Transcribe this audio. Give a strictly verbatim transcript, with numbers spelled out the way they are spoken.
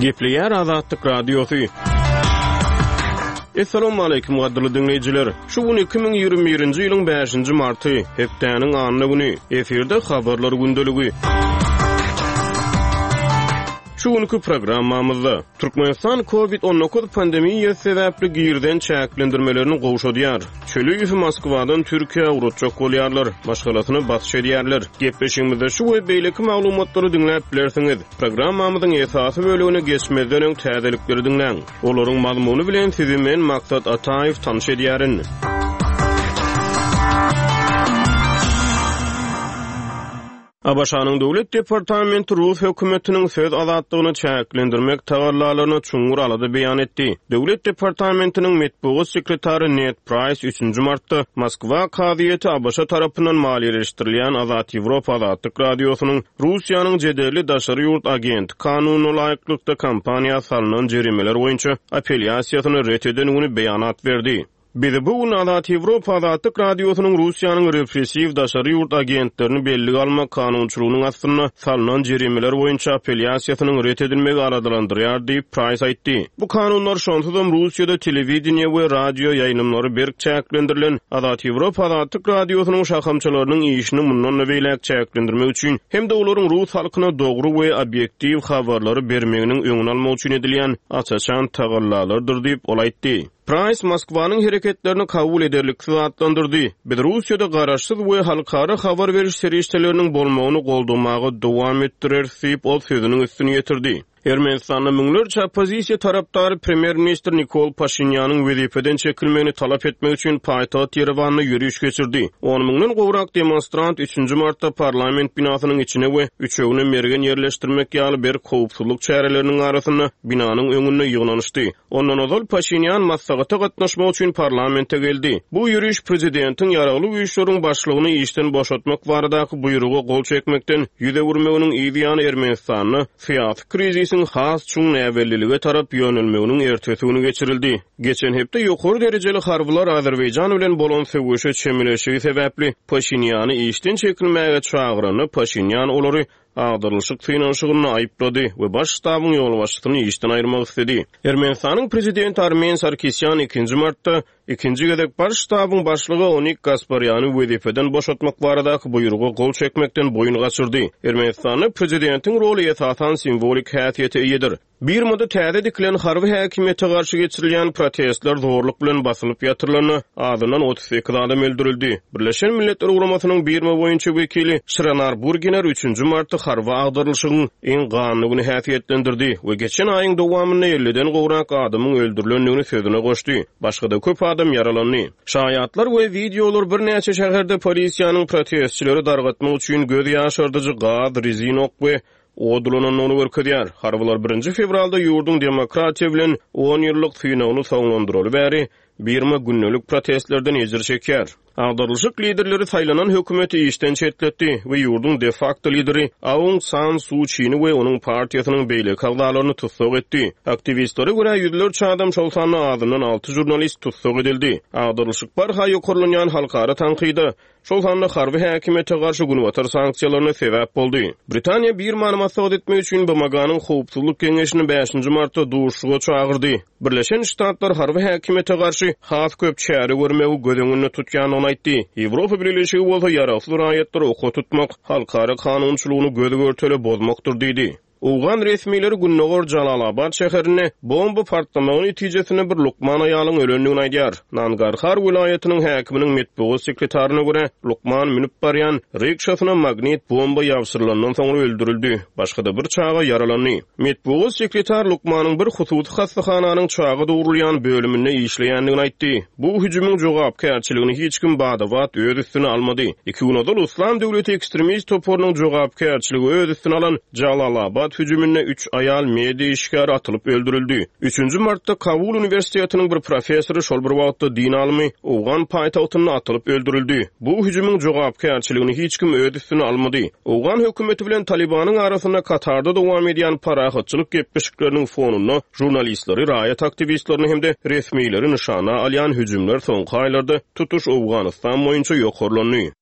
Gepleýär Azatlyk Radiosy. Assalamu gadyrly diňleýjiler. Şu gün iki müň ýigrimi birinji ýylyň bäşinji marty, hepdäniň anna güni. Efirde habarlar gündeligi. Şu günkü programmamyzda Türkmenistan COVID on dokuz pandemiýasy sebäpli girden çäklendirmelerini gowşadýar. Çöli Moskwadan Türkiýä ugrutjak bolýarlar, maşgalasyny basyş edýärler. Gepleşigimizde şu we beýleki maglumatlary diňläp bilersiňiz. Programmamyzyň esasy bölümine geçmezden öň täzelikleri diňläň. Olaryň mazmuny bilen sizi men Maksat Ataýew tanyş edýärin. A B Ş-nyň Döwlet Departamenti Rus hökümetiniň söz azatlygyny çäklendirmek tagallalaryna çuňňur alada beýan etdi. Döwlet Departamentiniň metbugat sekretary Ned Price üçünji martda Moskwa kazyýeti A B Ş tarapyndan maliýeleşdirilýän Azat Ýewropa Azatlyk Radiosynyň Russiýanyň jedelli daşary ýurt agenti kanunyna laýyklykda kampaniýa salynan jerimeler boýunça apellýasiýasyny ret eden güni beýanat berdi. Bizi bu gün Azat Ýewropa Azatlyk Radiosynyň Russiýanyň repressiw daşary ýurt agentlerini bellige almak kanunçylygynyň astynda salynan jerimeler boýunça apellýasiýasynyň ret edilmegi aradalandyrýar diýip Price aýtdy. Bu kanunlar şonsuzam Russiýada telewideniýe we radio ýaýlymlary berk çäklendirilen Azat Ýewropa Azatlyk Radiosynyň şahamçalarynyň işini mundan da beýläk çäklendirmek üçin hem-de olaryň rus halkyna dogry we obýektiw habarlary bermeginiň öňüni almak üçin edilýän aç-açan tagallalardyr diýip ol aýtdy. Price Moskwanyň hereketlerini kabul ederliksiz atlandyrdy. Biz Russiýada garaşsyz we halkara habar beriş serişdeleriniň bolmagyny goldamaga dowam etdireris diýip ol sözüniň üstüni ýetirdi. Ermenistanda müňlerçe oppozisiýa tarapdary premýer-ministr Nikol Paşinýanyň wezipeden çekilmegini talap etmek üçin paýtagt Ýerewanda ýöriş geçirdi. On müňden gowrak demonstrant üçünji martda parlament binasynyň içine we üçegine mergen ýerleşdirmek ýaly berk howpsuzlyk çäreleriniň arasynda binanyň öňünde ýygnanyşdy. Ondan ozal Paşinýan maslahata gatnaşmak üçin parlamente geldi. Bu ýöriş prezidentiň ýaragly güýçleriň başlygyny işden boşatmak baradaky buýruga gol çekmekden ýüz öwürmeginiň yz ýany Ermenistanda syýasy krizisiň has çuň näbellilige tarap ýönelmeginiň ertesi güni geçirildi. Geçen hepde ýokary derejeli harbylar Azerbaýjan bilen bolan söweşe çemeleşigi sebäpli Paşinýany işden çekilmäge çagyranda Paşinýan olary agdarylyşyk synanyşygyny aýyplady we baş ştabyň ýolbaşçysyny işden aýyrmak istedi. Ermenistanyň prezidenti Armen Sarkisýan ikinji martda ikinji gezek baş ştabyň başlygy Onik Gasparýany wezipeden boşatmak baradaky buýruga gol çekmekden boýun gaçyrdy. Ermenistanda prezidentiň roly esasan simwolik häsiýete eýedir. Birmada täze dikilen harby häkimiýete garşy geçirilýän protestler zorluk bilen basylyp ýatyrylanda azyndan otuz sekiz adam öldürildi. Birleşen Milletler Guramasynyň Birma boýunça wekili Şiranar Burginer üçünji martda harby agdarylyşygyň iň ganly güni häsiýetlendirdi we geçen aýyň dowamynda elliden gowrak adamyň öldürilendigini sözüne goşdy. Başga-da köp adam ýaralandy. Şaýatlar we wideolar birnäçe şäherde polisiýanyň protestçileri dargatmak üçin göz ýaşardyjy gaz, rezin ok we odulanandygyny görkezýär. Harbylar birinji fewralda ýurduň demokratiýa bilen on ýyllyk synagyny soňlandyraly bäri Birma gündelik protestlerden ejir çekýär. Agdarylyşyk liderleri saýlanan hökümeti işden çetletdi we ýurduň de facto lideri Aung San Suu Çi'ni we onuň partiýasynyň beýleki agzalaryny tussag etdi. Aktiwistlere görä ýüzlerçe adam, şol sanda azyndan alty jurnalist tussag edildi. Agdarylyşyk barha ýokarlanýan halkara tankyda, şol sanda harby häkimiýete garşy günbatar sanksiýalaryna sebäp boldy. Britaniýa Birmany maslahat etmek üçin B M G-nyň howpsuzlyk geňeşini bäşinji martda duşuşyga çagyrdy. Birleşen Ştatlar harby häkimiýete garşy has köp çäre görmegi göz öňünde tutýandygyny aýtdy. Ýewropa Birleşigi bolsa ýaragsyz raýatlary oka tutmak, halkara kanunçylygyny göz görtele bozmakdyr diýdi. Owgan resmileri Gündogar Jalalabad şäherinde bomba partlamagy netijesinde bir lukman aýalyň ölendigini aýdýar. Nangarhar welaýatynyň häkiminiň metbugat sekretaryna görä, lukman münüp barýan rikşasyna magnit bomba ýabşyrylandan soňra öldürildi. Başga-da bir çaga ýaralandy. Metbugat sekretar lukmanyň bir hususy hastahananyň çaga dogrulýan bölüminde işleýändigini aýtdy. Bu hüjümiň jogapkärçiligini hiç kim badabat öz üstüne almady. Iki gün ozal Islam döwleti ekstremist toparynyň jogapkärçiligi öz üstüne alan Jalalabad hüjüminde üç aýal media işgäri atylyp öldürildi. Üçünji martda Kabul Uniwersitetiniň bir professory şol bir wagtda din alymy Owgan paýtagtynda atylyp öldürildi. Bu hüjümiň jogapkärçiligini hiç kim öz üstüne almady. Owgan hökümeti bilen Talibanyň arasynda Katarda dowam edýän parahatçylyk gepleşikleriniň fonunda jurnalistleri, raýat aktiwistlerini hem-de resmileri nyşana alýan hüjümler soňky aýlarda tutuş Owganystan boýunça ýokarlandy.